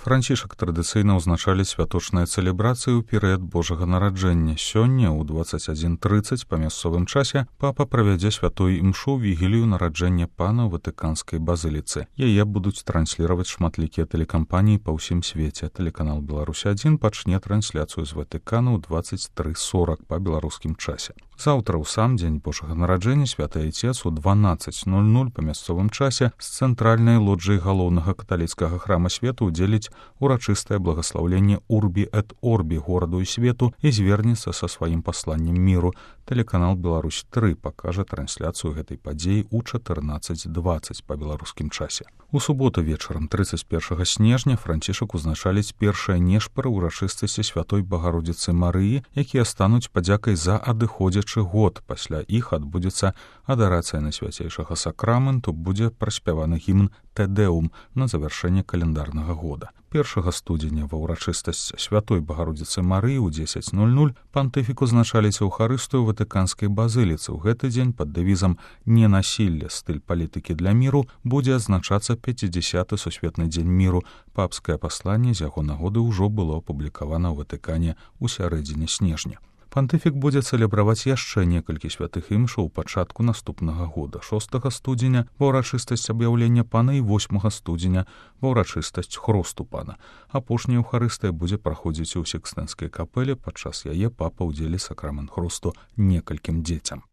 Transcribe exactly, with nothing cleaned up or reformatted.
Францішак традыцыйна ўзначалі святочныя цэлебрацыі ў перыяд Божага нараджэння. Сёння ў дваццаць адзін трыццаць па мясцовым часе папа правядзе святую імшу вігілію нараджэння пана ў ватыканскай базыліцы. Яе будуць трансліраваць шматлікія тэлекампаніі па ўсім свеце. Тэлеканал Беларусь адзін пачне трансляцыю з Ватыкана ў дваццаць тры сорак па беларускім часе. Заўтра ў сам дзень Божага нараджэння святы айцец у дванаццаць нуль нуль па мясцовым часе з цэнтральнай лоджыі галоўнага каталіцкага храма свету ўдзеліць урачыстае благаслаўленне Урбі эт Орбі гораду і свету і звернецца са сваім пасланнем міру. Тэлеканал Беларусь тры пакажа трансляцыю гэтай падзеі ў чатырнаццаць дваццаць па беларускім часе. У суботу вечарам трыццаць першага снежня Францішак узначаліць першыя нешпары ўрачыстасці святой Багародзіцы Марыі, якія стануць падзякай за адыходзячы год. Пасля іх адбудзецца адарацыя на свяцейшага сакраменту, будзе праспяваны гімн Тэдэум на завяршэнне каляндарнага года. першага студзеня ва ўрачыстасць святой Багародзіцы Марыі ў дзесяць нуль нуль пантыфік узначаліць эўхарыстыю ватыканскай базыліцы. У гэты дзень пад дэвізам «Ненасілле. Стыль палітыкі для міру» будзе адзначацца пяцідзясяты сусветны дзень міру. Папскае пасланне з яго нагоды ўжо было апублікавана ў Ватыкане ў сярэдзіне снежня. Пантыфік будзе цэлебраваць яшчэ некалькі святых імшаў у пачатку наступнага года. шостага студзеня ва ўрачыстасць аб'яўлення пана і восьмага студзеня ва ўрачыстасць хросту пана. Апошняя эўхарыстыя будзе праходзіць у Сікстэнскай капэле. Падчас яе папа ўдзелі сакрамент хросту некалькім дзецям.